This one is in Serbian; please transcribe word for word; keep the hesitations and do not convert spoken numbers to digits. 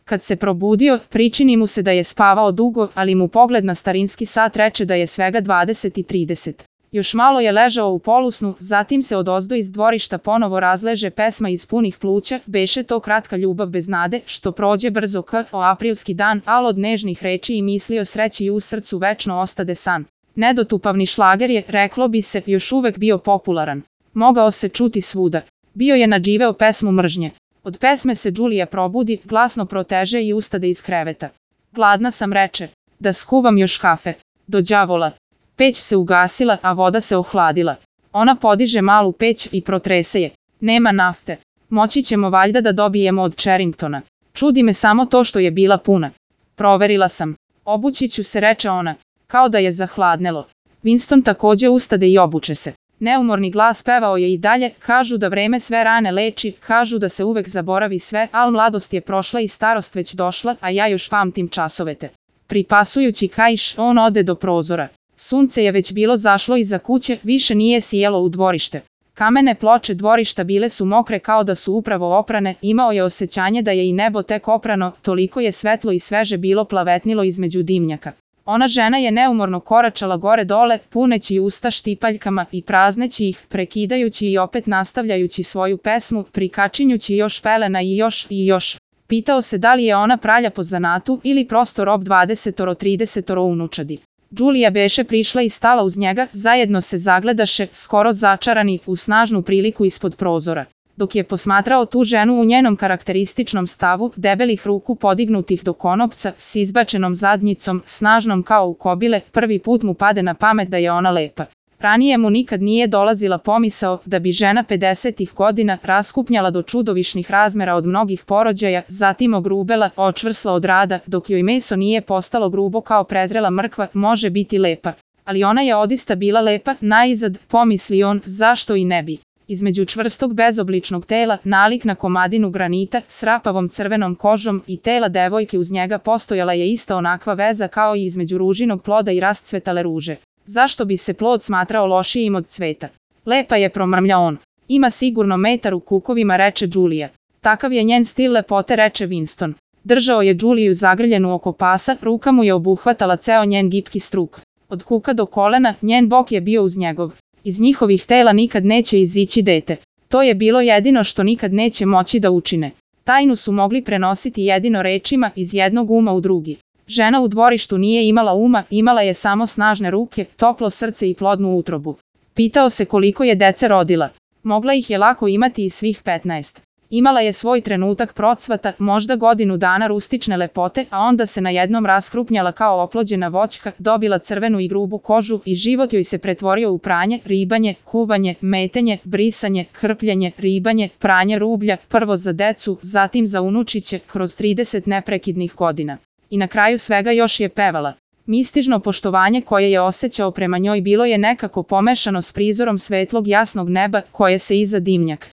Kad se probudio, pričini mu se da je spavao dugo, ali mu pogled na starinski sat reče da je svega dvadeset i trideset. Još malo je ležao u polusnu, zatim se odozdo iz dvorišta ponovo razleže pesma iz punih pluća, beše to kratka ljubav bez nade, što prođe brzo k o aprilski dan, al od nežnih reči i misli o sreći u srcu večno ostade san. Nedotupavni šlager je, reklo bi se, još uvek bio popularan. Mogao se čuti svuda. Bio je nadživeo pesmu mržnje. Od pesme se Đulija probudi, glasno proteže i ustade iz kreveta. Gladna sam, reče. Da skuvam još kafe. Do đavola. Peć se ugasila, a voda se ohladila. Ona podiže malu peć i protrese je. Nema nafte. Moći ćemo valjda da dobijemo od Charringtona. Čudi me samo to što je bila puna. Proverila sam. Obući ću se, reče ona. Kao da je zahladnelo. Winston takođe ustade i obuče se. Neumorni glas pevao je i dalje, kažu da vreme sve rane leči, kažu da se uvek zaboravi sve, al mladost je prošla i starost već došla, a ja još pamtim časovete. Pripasujući kaiš, on ode do prozora. Sunce je već bilo zašlo iza kuće, više nije sijelo u dvorište. Kamene ploče dvorišta bile su mokre kao da su upravo oprane, imao je osjećanje da je i nebo tek oprano, toliko je svetlo i sveže bilo plavetnilo između dimnjaka. Ona žena je neumorno koračala gore dole, puneći usta štipaljkama i prazneći ih, prekidajući i opet nastavljajući svoju pesmu, prikačinjući još pelena i još i još. Pitao se da li je ona pralja po zanatu ili prosto rob dvadesetoro tridesetoro unučadi. Đulija beše prišla i stala uz njega, zajedno se zagledaše, skoro začarani, u snažnu priliku ispod prozora. Dok je posmatrao tu ženu u njenom karakterističnom stavu, debelih ruku podignutih do konopca, s izbačenom zadnjicom, snažnom kao u kobile, prvi put mu pade na pamet da je ona lepa. Ranije mu nikad nije dolazila pomisao da bi žena pedesetih godina raskupnjala do čudovišnih razmera od mnogih porođaja, zatim ogrubela, očvrsla od rada, dok joj meso nije postalo grubo kao prezrela mrkva, može biti lepa. Ali ona je odista bila lepa, naizad, pomisli on, zašto i ne bi. Između čvrstog bezobličnog tela, nalik na komadinu granita, s rapavom crvenom kožom i tela devojke uz njega postojala je ista onakva veza kao i između ružinog ploda i rascvetale ruže. Zašto bi se plod smatrao lošijim od cveta? Lepa je, promrmlja on. Ima sigurno metar u kukovima, reče Đulija. Takav je njen stil lepote, reče Winston. Držao je Đuliju zagrljenu oko pasa, ruka mu je obuhvatala ceo njen gipki struk. Od kuka do kolena, njen bok je bio uz njegov. Iz njihovih tela nikad neće izići dete. To je bilo jedino što nikad neće moći da učine. Tajnu su mogli prenositi jedino rečima iz jednog uma u drugi. Žena u dvorištu nije imala uma, imala je samo snažne ruke, toplo srce i plodnu utrobu. Pitao se koliko je dece rodila. Mogla ih je lako imati i svih petnaest. Imala je svoj trenutak procvata, možda godinu dana rustične lepote, a onda se najednom raskrupnjala kao oplođena voćka, dobila crvenu i grubu kožu i život joj se pretvorio u pranje, ribanje, kuvanje, metenje, brisanje, krpljenje, ribanje, pranje rublja, prvo za decu, zatim za unučiće, kroz trideset neprekidnih godina. I na kraju svega još je pevala. Mistižno poštovanje koje je osjećao prema njoj bilo je nekako pomešano s prizorom svetlog jasnog neba koje se iza dimnjak